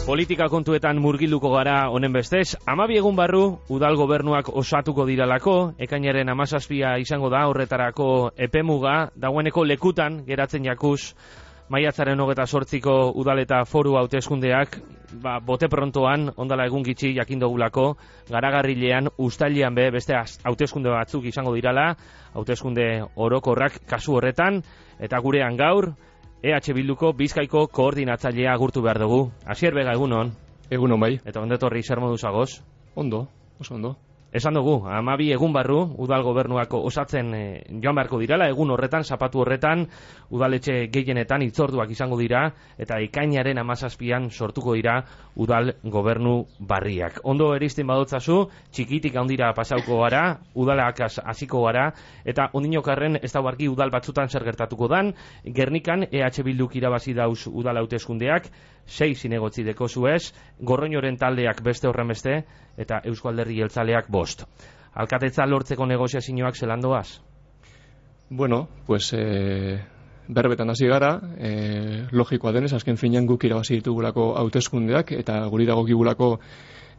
Politika kontuetan murgilduko gara honen bestez, 12 egun barru udal gobernuak osatuko diralako, ekainaren 17 izango da horretarako epemuga, dagoeneko lekutan geratzen jakuz, maiatzaren 28ko udal eta foru hauteskundeak, bote prontoan, ondala egun gitxi jakindogulako, garagarrilean, uztailean beste hauteskunde batzuk izango dirala, hauteskunde orokorrak kasu horretan, eta gurean gaur, EH Bilduko Bizkaiko koordinatzailea agurtu behar dugu. Asier Bega, egunon. Egunon bai. Eta ondetorri zer moduz agoz? Ondo, oso ondo. Esan dugu, 12 egun barru, udal gobernuako osatzen joan beharko dirala, egun horretan, zapatu horretan, udaletxe gehienetan hitzorduak izango dira, eta ekainaren 17an sortuko dira udal gobernu barriak. Ondo erizten badotzazu, txikitik handira pasauko gara, udalak hasiko gara, eta ondinokarren ez da barki udal batzutan zer gertatuko dan, Gernikan EH Bilduk irabazi dauz udal hauteskundeak, 6 zinegotzi deko zuez, Gorroñoren taldeak beste horren beste, eta Eusko Alderdi Jeltzaleak 5. Alkatetza lortzeko negoziazioak zelan doaz? Bueno, pues berbetan hasi gara, logikoa denez, azken finean guk irabazi ditugulako hauteskundeak, eta guri dagokigulako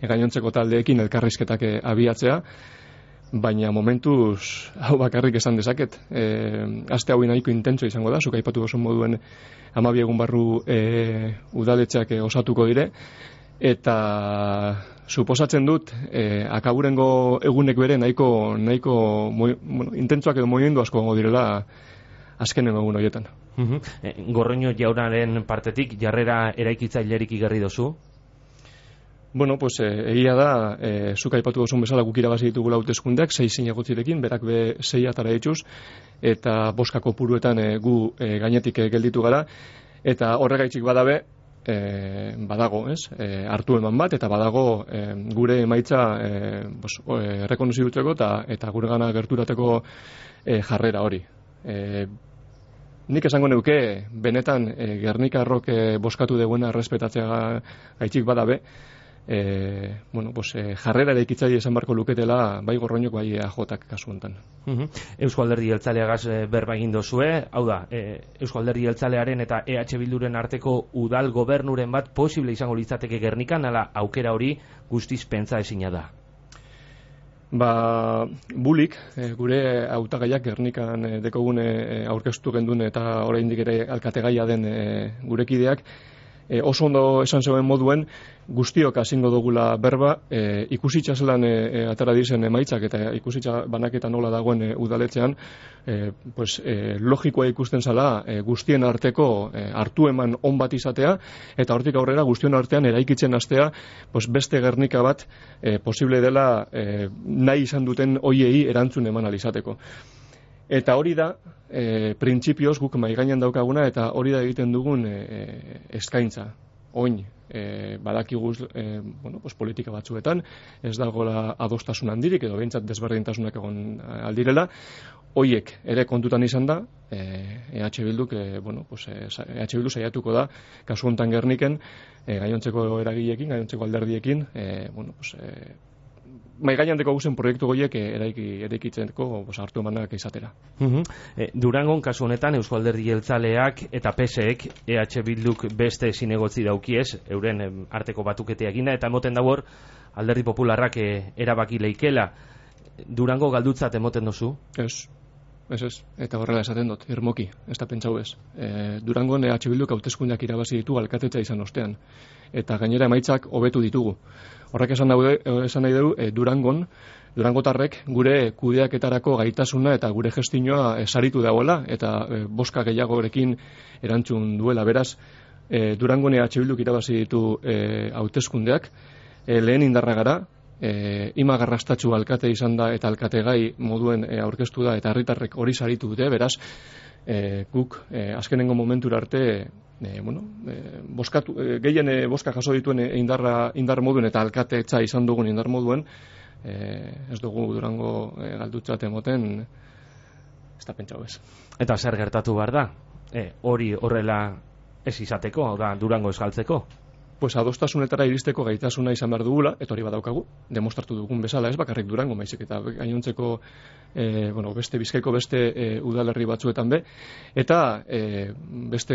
gainontzeko taldeekin elkarrizketak abiatzea, baina momentuz hau bakarrik esan dezaket. Aste hau nahiko intentso izango da, zuk aipatu oso moduen 12 egun barru udaletxeak osatuko dire, eta suposatzen dut akaburengo egunek bere nahiko intentsoak edo movimendu asko gongo direla azkenengo egun horietan. Gorroño jaunaren partetik jarrera eraikitzailerik igarri dozu? Bueno, pues egia da, zuk aipatu dozun bezala guk irabazi ditugula hauteskundeak 6 zinegotzirekin, berak 6 atara dituz, eta 5 kopuruetan gu gainetik gelditu gara, eta horregaitzik badabe, badago, ez? Hartu eman bat, eta badago gure emaitza rekonozidutzeko eta gure gana gerturateko jarrera hori. Nik esango neuke, benetan Gernikarrok bozkatu deguena errespetatzea gaitzik badabe, jarrera eraikitzaile esan barko luketela bai Gorroñok bai EAJak kasu honetan. Eusko Alderdi Jeltzaleagaz berba egin dozue, hau da, Eusko Alderdi Jeltzalearen eta EH Bilduren arteko udal gobernuren bat posible izango litzateke Gernikan, ala aukera hori guztiz pentsa ezina da. Bulik, gure hautagaiak Gernikan dekogune aurkeztu gendun eta oraindik ere alkategaia den gurekideak, oso ondo esan zeuen moduen, guztiok hasingo dugula berba, ikusitza zelan atara dizen emaitzak eta ikusitza banaketa nola dagoen udaletzean, logikoa ikusten zala guztien arteko hartu eman on bat izatea, eta hortik aurrera guztion artean eraikitzen hastea, beste Gernika bat posible dela nahi izan duten hoiei erantzun eman alizateko. Eta hori da, printzipioz guk maigainan daukaguna, eta hori da egiten dugun eskaintza. Oin, badakiguz politika batzuetan, ez dagoela adostasun handirik, edo behintzat desberdintasunak egon aldirela, hoiek ere kontutan izan da, EH Bilduk, EH Bildu saiatuko da, kasu honetan Gerniken, gainontzeko eragileekin, gainontzeko alderdiekin, maigainan deko guzen proiektu goiek eraikitzeko hartu emanak izatera. Durangon kasu honetan Eusko Alderdi Jeltzaleak eta PSek EH Bilduk beste zinegotzi daukiez, euren arteko batuketea eginda, eta emoten dago Alderdi Popularrak erabaki leikela. Durango galdutzat emoten dozu? Ez. Eta horrela esaten dut, irmoki, ez da pentsau ez. Durangon EH Bilduk hauteskundeak irabazi ditu alkatetza izan ostean, eta gainera emaitzak hobetu ditugu. Horrek esan nahi dugu, Durangotarrek gure kudeaketarako gaitasuna eta gure gestinoa saritu dagoela, eta boska gehiagorekin erantzun duela. Beraz, Durangon EH Bilduk irabazi ditu hauteskundeak, lehen indarra gara, imagarrastatxu alkate izan da eta alkategai moduen aurkeztu da eta herritarrek hori saritu dute, beraz guk azkenengo momentura arte gehien boska jaso dituen indar moduen eta alkatetza izan dugun indar moduen, ez dugu Durango galdutzat emoten, ez da pentsau ez. Eta zer gertatu behar da? Hori horrela ez izateko, da Durango ez galtzeko? Adostasunetara iristeko gaitasuna izan behar dugula, eta hori badaukagu, demostratu dugun bezala, ez bakarrik Durango, maizik eta gainontzeko beste Bizkaiko beste udalerri batzuetan be, eta beste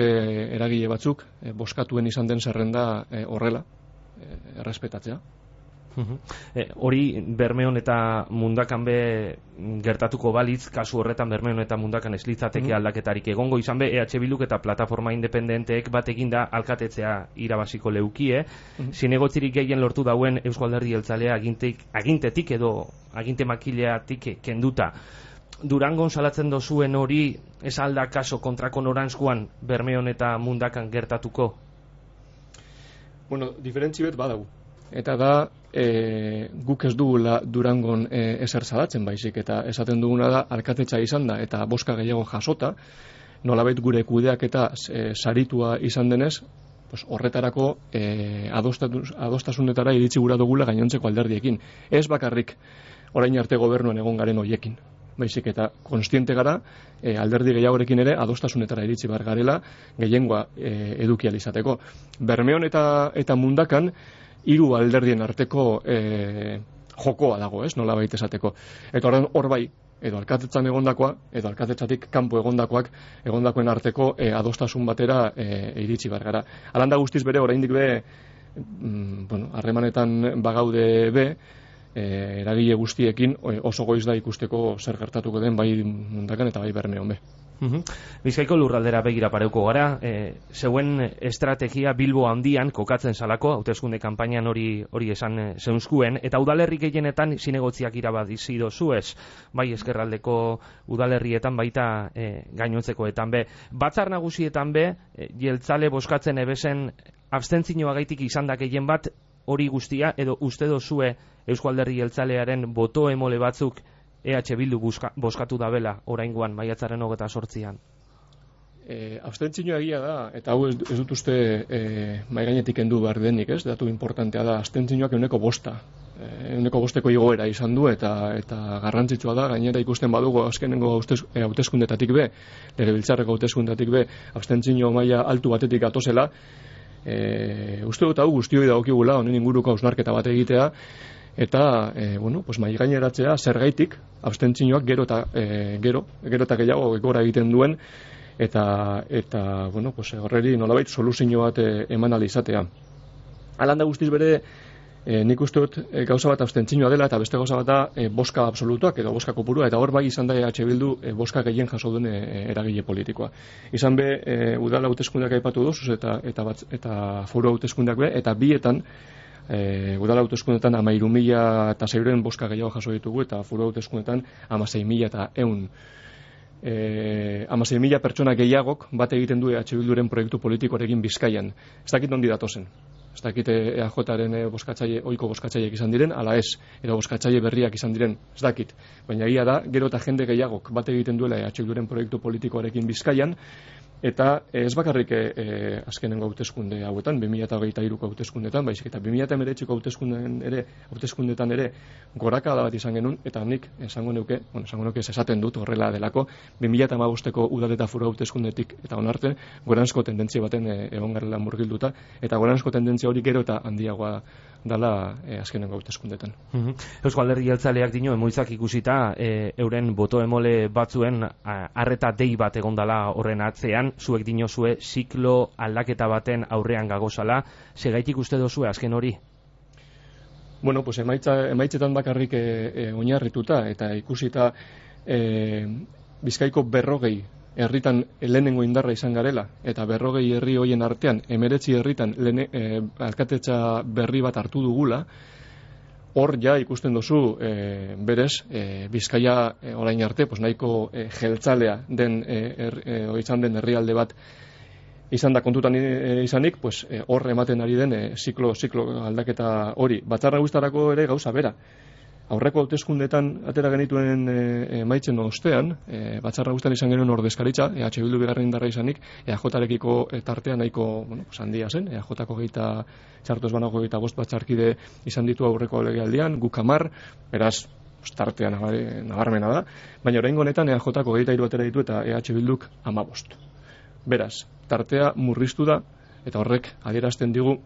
eragile batzuk boskatuen izan den zerrenda horrela, errespetatzea. Hori Bermeon eta Mundakan be gertatuko balitz, kasu horretan Bermeon eta Mundakan ez litzateke aldaketarik egongo izan be, EH Bilduk eta plataforma independenteek bat eginda alkatetzea irabaziko leukie, zinegotzirik gehien lortu dauen Eusko Alderdi Jeltzalea agintetik edo aginte makileatik kenduta. Durangon salatzen dozuen hori ez alda kaso kontrako noranzkoan Bermeon eta Mundakan gertatuko? Bueno, diferentzi bet badau. Eta da, guk ez dugula Durangon ezer salatzen baizik, eta esaten duguna da, alkatetza izan da, eta boska gehiago jasota, nolabait gure kudeak eta saritua izan denez, pues horretarako adostasunetara iritsi gura dugula gainontzeko alderdiekin. Ez bakarrik orain arte gobernuan egon garen hoiekin, baizik eta konstiente gara alderdi gehiagorekin ere adostasunetara iritsi behar garela gehiengoa eduki ahal izateko. Bermeon eta Mundakan hiru alderdien arteko jokoa dago, ez, nola baita esateko. Eta hor bai, edo alkatetzan egondakoa, edo alkatetzatik kanpo egondakoen arteko adostasun batera iritsi behar gara. Alanda guztiz bere, oraindik be, harremanetan bagaude be, eragile guztiekin oso goiz da ikusteko zer gertatuko den bai Mundakan eta bai Bermeon be. Bizkaiko lurraldera begira pareuko gara, zeuen estrategia Bilbo handian kokatzen salako, hauteskunde kanpainan hori esan zeunskuen, eta udalerri gehienetan zinegotziak irabazi dozuez, bai ezkerraldeko udalerrietan baita gainontzekoetan be. Batzar nagusietan be, jeltzale boskatzen ebesen abstentzioagaitik izan da gehien bat hori guztia, edo uste dozue Eusko Alderdi Jeltzalearen boto emole batzuk EH Bildu boskatu dabela oraingoan maiatzaren 28an. Abstentzioa egia da, eta hau ez dut uste mai gainetik kendu behar denik, ez? Datu importantea da, abstentzioak 105%. 105% igoera izan du eta garrantzitsua da, gainera ikusten badugu azkenengo hauteskundetatik be, legebiltzarreko hauteskundetatik be, abstentzio maila altu batetik atozela. Uste dut hau guztioi dagokigula honen inguruko hausnarketa bat egitea, eta mai gaineratzea zergaitik abstentzioak gero eta gehiago gora egiten duen, eta horreri nolabait soluzio bat eman ahal izatea. Alanda guztiz bere, nik uste dut gauza bat abstentzioa dela, eta beste gauza bat da boska absolutuak edo boska kopurua, eta hor bai izan da EH Bildu boska gehien jaso duen eragile politikoa. Izan be, udala hauteskundeak aipatu duzuz eta foru hauteskundeak be, eta bietan udala hauteskundetan 13.600 boska gehiago jaso ditugu, eta foru hauteskundetan 16.100. 16.000 pertsona gehiagok bat egiten du EH Bilduren proiektu politikoarekin Bizkaian. Ez dakit ondi datozen. Ez dakit EAJaren ohiko boskatzaileak izan diren, ala ez, edo boskatzaile berriak izan diren, ez dakit. Baina egia da, gero eta jende gehiagok bat egiten duela EH Bilduren proiektu politikoarekin Bizkaian, eta ez bakarrik azkenengo hauteskunde hauetan, 2023ko hauteskundetan, baizik eta 2019ko hauteskundetan ere gorakada bat izan genuen, eta nik esango nuke esaten dut horrela delako, 2015ko udal eta foru hauteskundetik eta onarte goranzko tendentzia baten egon garela murgilduta, eta goranzko tendentzia hori gero eta handiagoa dala azkenengo hauteskundetan. Eusko Alderdi Jeltzaleak dio emoitzak ikusita euren boto emole batzuen arreta dei bat egondala horren atzean, zuek dinozue ziklo aldaketa baten aurrean gagozala, segaitik uste dozue azken hori? Bueno, pues emaitzetan bakarrik oinarrituta eta ikusita Bizkaiko 40 herritan lehenengo indarra izan garela, eta 40 herri hoien artean 19 herritan alkatetza berri bat hartu dugula, hor ja ikusten duzu berez Bizkaia orain arte nahiko jeltzalea den izan den herrialde bat izan da kontutan izanik, hor ematen ari den ziklo aldaketa hori. Batzar Nagusietarako ere gauza bera. Aurreko hauteskundetan atera genituen emaitzen ostean, Batzar Nagusietan izan genuen ordezkaritza, EH Bildu bigarren indarra izanik, EAJarekiko tartea nahiko handia zen, EAJko txarto ez banago 25 batzarkide izan ditu aurreko legealdian, guk 10, beraz, tartea nabarmena da, baina oraingo honetan EAJko 23 atera ditu eta EH Bilduk 15. Beraz, tartea murriztu da, eta horrek adierazten digu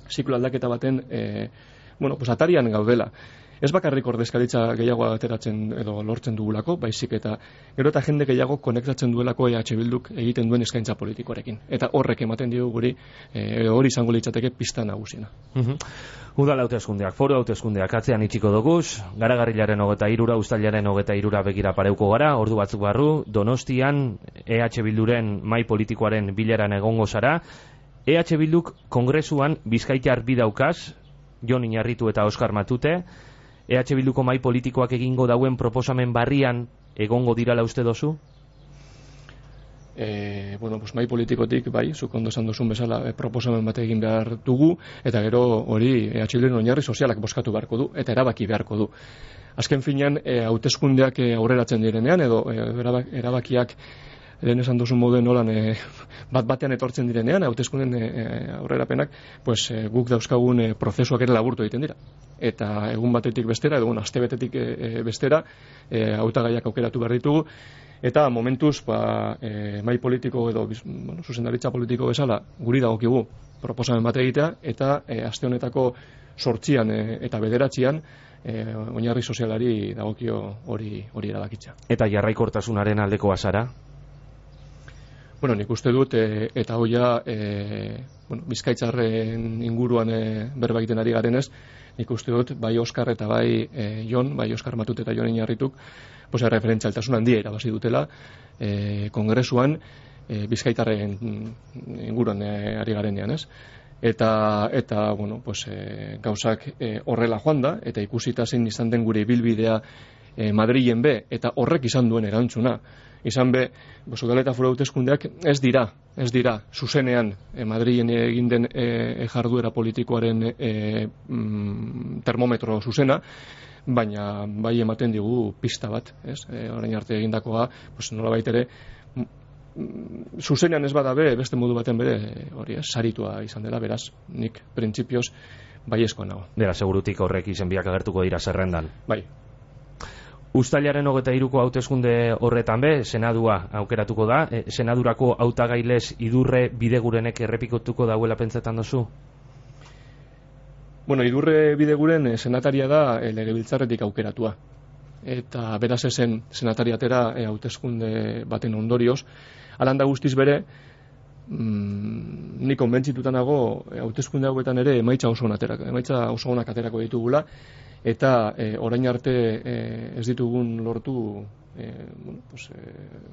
ziklo aldaketa baten atarian gaudela. ez bakarrik ordezkaritza gehiago ateratzen edo lortzen dugulako, baizik eta gero eta jende gehiago konektatzen duelako EH Bilduk egiten duen eskaintza politikoarekin. Eta horrek ematen dio guri hori izango litzateke pista nagusiena. Udal hauteskundeak, foru hauteskundeak atzean itxiko doguz, Garagarrilaren 23, uztailaren 23 begira pareuko gara, ordu batzuk barru, Donostian EH Bilduren mahai politikoaren bileran egongo zara. EH Bilduk kongresuan Bizkaitar bi daukaz, Jon Iñarritu eta Oskar Matute. EH Bilduko mahai politikoak egingo dauen proposamen barrian egongo dirala uste dozu? Mahai politikotik, bai, zuk ondo esan duzun bezala proposamen bat egin behar dugu, eta gero hori EH Bilduren oinarri sozialak bozkatu beharko du, eta erabaki beharko du. Azken finean, hauteskundeak aurreratzen direnean, edo erabakiak lehen esan duzun moduen nolan bat-batean etortzen direnean, hauteskunden aurrerapenak, guk dauzkagun prozesuak ere laburtu egiten dira. Eta egun batetik bestera, edo aste betetik bestera, hautagaiak aukeratu behar ditugu, eta momentuz, mahai politiko edo zuzendaritza politiko bezala, guri dagokigu proposamen bat egitea, eta aste honetako 8 eta 9 oinarri sozialari dagokio hori erabakitza. Eta jarraikortasunaren aldeko azara? Nik uste dut, eta hoia Bizkaitzarren inguruan berba egiten ari garenez, nik uste dut, bai Oskar eta bai Jon, bai Oskar Matute eta Jon Iñarrituk, referentzialtasun handia irabazi dutela kongresuan Bizkaitarren inguruan ari garenean, ez? Eta gauzak horrela joan da, eta ikusita zein izan den gure ibilbidea Madrilen be, eta horrek izan duen erantzuna. Izan be, udal eta foru hauteskundeak ez dira zuzenean Madrilen egin den jarduera politikoaren termometro zuzena, baina bai ematen digu pista bat, ez? Orain arte egindakoa, nolabait ere, zuzenean ez badabe, beste modu baten bere, hori ez, saritua izan dela, beraz, nik printzipioz baiezkoa nago. Dela, segurutik horrek izenbiak agertuko dira zerrendan. Bai. Uztailaren 23ko hauteskunde horretan be, senadua aukeratuko da. Senadurako hautagailez Idurre Bidegurenek errepikotuko dauela pentsetan duzu? Idurre Bideguren senataria da legebiltzarretik aukeratua. Eta beraz ezen senatariatera hauteskunde baten ondorioz. Alanda guztiz bere, ni konbentzituta nago hauteskunde hauetan ere emaitza oso onak aterako ditugula, eta orain arte ez ditugun lortu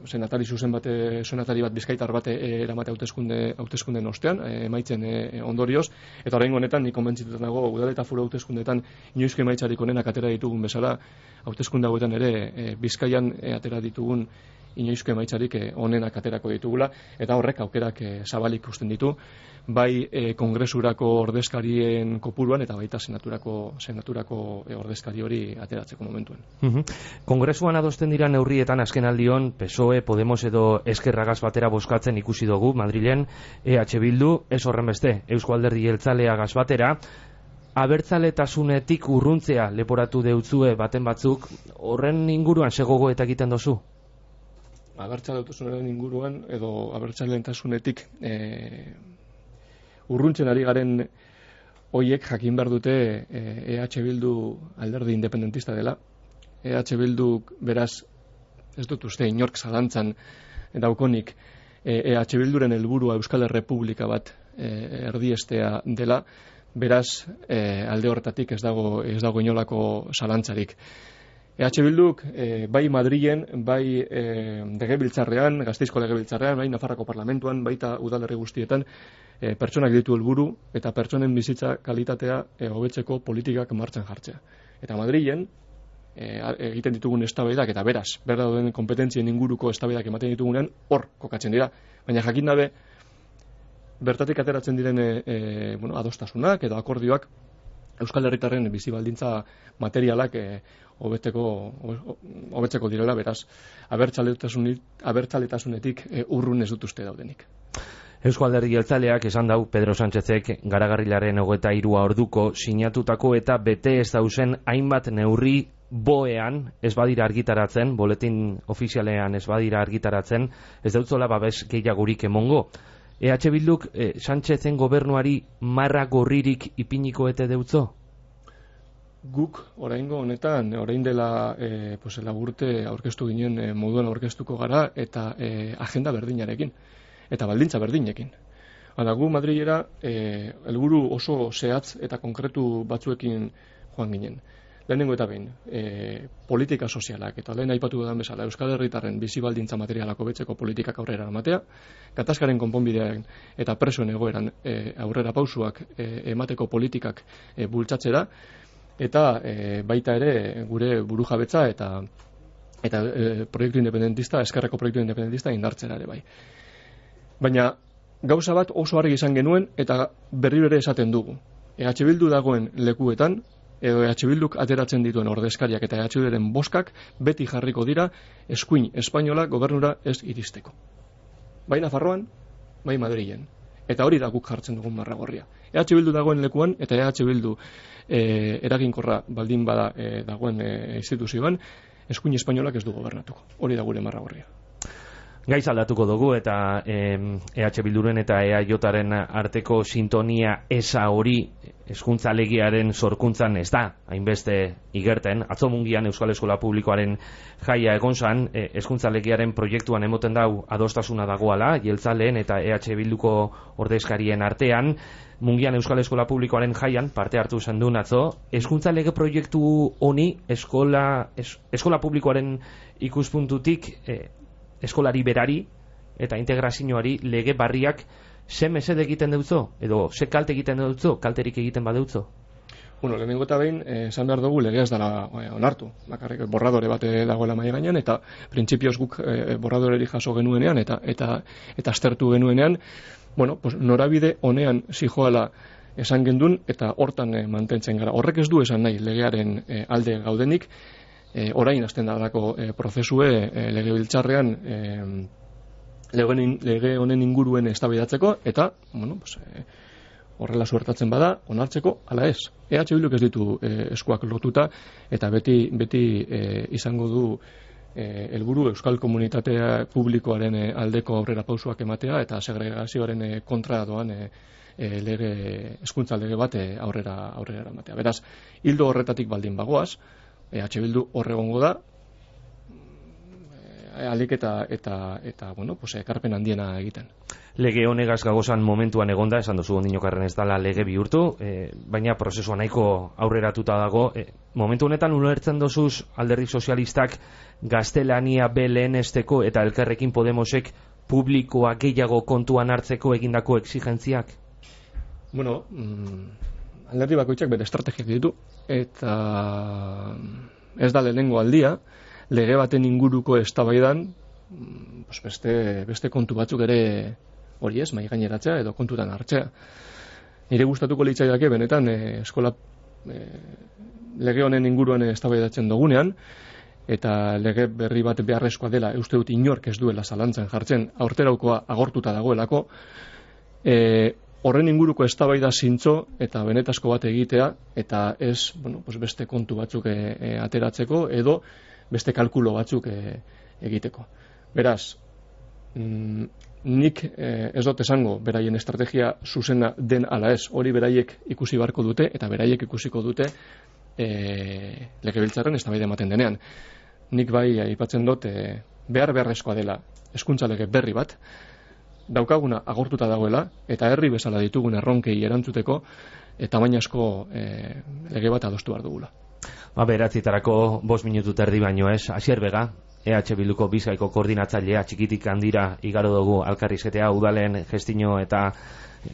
senatari bat bizkaitar bat eramate hauteskundeen ostean, emaitzen ondorioz, eta orain honetan nik konbentzituta nago udal eta foru hauteskundeetan inoizko emaitzarik onenak atera ditugun bezala, hauteskunde hauetan ere Bizkaian atera ditugun inoizko emaitzarik onenak aterako ditugula, eta horrek aukerak zabalik usten ditu, bai kongresurako ordezkarien kopuruan eta baita senaturako ordezkari hori ateratzeko momentuen. Kongresuan adosten dira neurrietan azken aldion PSOE, Podemos edo Eskerragaz batera bozkatzen ikusi dugu Madrilen, EH Bildu, ez horren beste, Eusko Alderdi Jeltzaleagaz batera, abertzaletasunetik urruntzea leporatu deutzue baten batzuk, horren inguruan segogo eta egiten dozu? Abertzaletasunaren inguruan edo abertzaletasunetik urruntzen ari garen hoiek jakin behar dute EH Bildu alderdi independentista dela. EH Bildu beraz ez dut uste inork zalantzan daukonik EH Bilduren helburua Euskal Errepublika bat erdiestea dela, beraz alde horretatik ez dago inolako zalantzarik. EH Bilduk bai Madrilen, bai legebiltzarrean, Gasteizko legebiltzarrean, bai Nafarrako parlamentuan, baita udalerri guztietan pertsonak ditu helburu eta pertsonen bizitza kalitatea hobetzeko politikak martxan jartzea. Eta Madrilen egiten ditugun eztabaidak eta beraz, berda dauden kompetentzien inguruko eztabaidak ematen ditugunean hor kokatzen dira. Baina jakin dabe bertatik ateratzen diren adostasunak edo akordioak Euskal Herritarren bizi baldintza materialak hobetzeko direla, beraz, abertzaletasunetik urrun ez dut uste daudenik. Eusko Alderdi Jeltzaleak esan dau Pedro Sánchezek Garagarrilaren 23 orduko sinatutako eta bete ez dauzen hainbat neurri boean ez badira argitaratzen, boletin ofizialean ez badira argitaratzen, ez dautzola babes gehiagurik emongo. EH Bilduk Sánchezen gobernuari marra gorririk ipiniko ete deutzo? Guk oraingo honetan, orain dela urte aurkeztu ginen moduan aurkeztuko gara eta agenda berdinarekin eta baldintza berdinekin. Hala, gu Madrilera helburu oso zehatz eta konkretu batzuekin joan ginen. Lehenengo eta behin, politika sozialak eta lehen aipatu dudan bezala Euskal Herritarren bizi baldintza materialak hobetzeko politikak aurrera eramatea, gatazkaren konponbidean eta presoen egoeran aurrera pausuak emateko politikak bultzatzera, eta baita ere gure burujabetza eta proiektu independentista, eskerreko proiektu independentista indartzera ere bai. Baina gauza bat oso argi izan genuen eta berriro ere esaten dugu. EH Bildu dagoen lekuetan, edo EH Bilduk ateratzen dituen ordezkariak eta EH Bilduren boskak beti jarriko dira eskuin espainola gobernura ez iristeko. Bai Nafarroan, bai Madrilen. Eta hori da guk jartzen dugun marragorria. EH Bildu dagoen lekuan eta EH Bildu eraginkorra baldin bada dagoen instituzioan, eskuin espainolak ez du gobernatuko. Hori da gure marragorria. Gaiz aldatuko dugu eta EH Bilduren eta EAJaren arteko sintonia eza hori hezkuntza legearen sorkuntzan ez da hainbeste igerten. Atzo Mungian Euskal Eskola Publikoaren jaia egon zan, hezkuntza legearen proiektuan emoten dau adostasuna dagoala, jeltzaleen eta EH Bilduko ordezkarien artean. Mungian Euskal Eskola Publikoaren jaian parte hartu zendun atzo, hezkuntza lege proiektu honi eskola publikoaren ikuspuntutik eskolari berari eta integrazioari lege barriak ze mesede egiten deutzo, edo ze kalte egiten deutzo, kalterik egiten badeutzo? Bueno, lehenengo eta behin, esan behar dugu legea ez dela onartu. Bakarrik borradore bat dagoela mahai gainean, eta printzipioz guk borradoreri jaso genuenean, eta aztertu genuenean, bueno, pues, norabide honean zijoala esan gendun, eta hortan mantentzen gara. Horrek ez du esan nahi legearen alde gaudenik, orain hasten dalako prozesue legebiltzarrean lege honen inguruen eztabaidatzeko eta bueno, pues, horrela suertatzen bada onartzeko ala ez. EH Bilduk ez ditu eskuak lotuta eta beti izango du helburu euskal komunitatea publikoaren aldeko aurrera pausuak ematea eta segregazioaren kontra doan hezkuntza lege bat aurrera eramatea. Beraz, hildo horretatik baldin bagoaz, EH Bildu horregongo da alik eta bueno, pues, ekarpen handiena egiten. Lege honegaz gagozan momentuan egonda, esan duzu ondinokarren ez dala lege bihurtu, baina prozesua nahiko aurreratuta dago. Momentu honetan ulertzen dozuz alderdi sozialistak gaztelania belenesteko eta Elkarrekin Podemosek publikoa gehiago kontuan hartzeko egindako exigentziak? Bueno, alderdi bakoitzak bere estrategiak ditu eta ez da lehenengo aldia lege baten inguruko eztabaidan pues beste kontu batzuk ere hori ez, mahai gaineratzea edo kontutan hartzea. Nire gustatuko litzaidake benetan eskola lege honen inguruan eztabaidatzen dugunean eta lege berri bat beharrezkoa dela uste dut inork ez duela zalantzan jartzen aurteraukoa agortuta dagoelako horren inguruko eztabaida zintzo eta benetazko bat egitea eta ez bueno, pues beste kontu batzuk ateratzeko edo beste kalkulo batzuk egiteko. Beraz, nik ez dut esango beraien estrategia zuzena den ala ez, hori beraiek ikusi barko dute eta beraiek ikusiko dute legebiltzarren eztabaida ematen denean. Nik bai aipatzen dut beharrezkoa dela hezkuntza lege berri bat, daukaguna agortuta dagoela eta herri bezala ditugun erronkei erantzuteko tamainazko lege bat adostu behar dugula. Beratzitarako 5 minutu terdi baino ez, Asier Bega, EH Bilduko Bizkaiko koordinatzailea txikitik handira igaro dugu alkarrizketea udalen gestino eta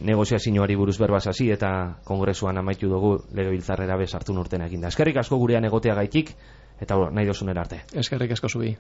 negoziazioari buruz berbaz hasi eta kongresuan amaitu dugu legebiltzarrera bezartu urten eginda. Eskerrik asko gurean egoteagaitik eta nahi dozunen arte. Eskerrik asko zubi.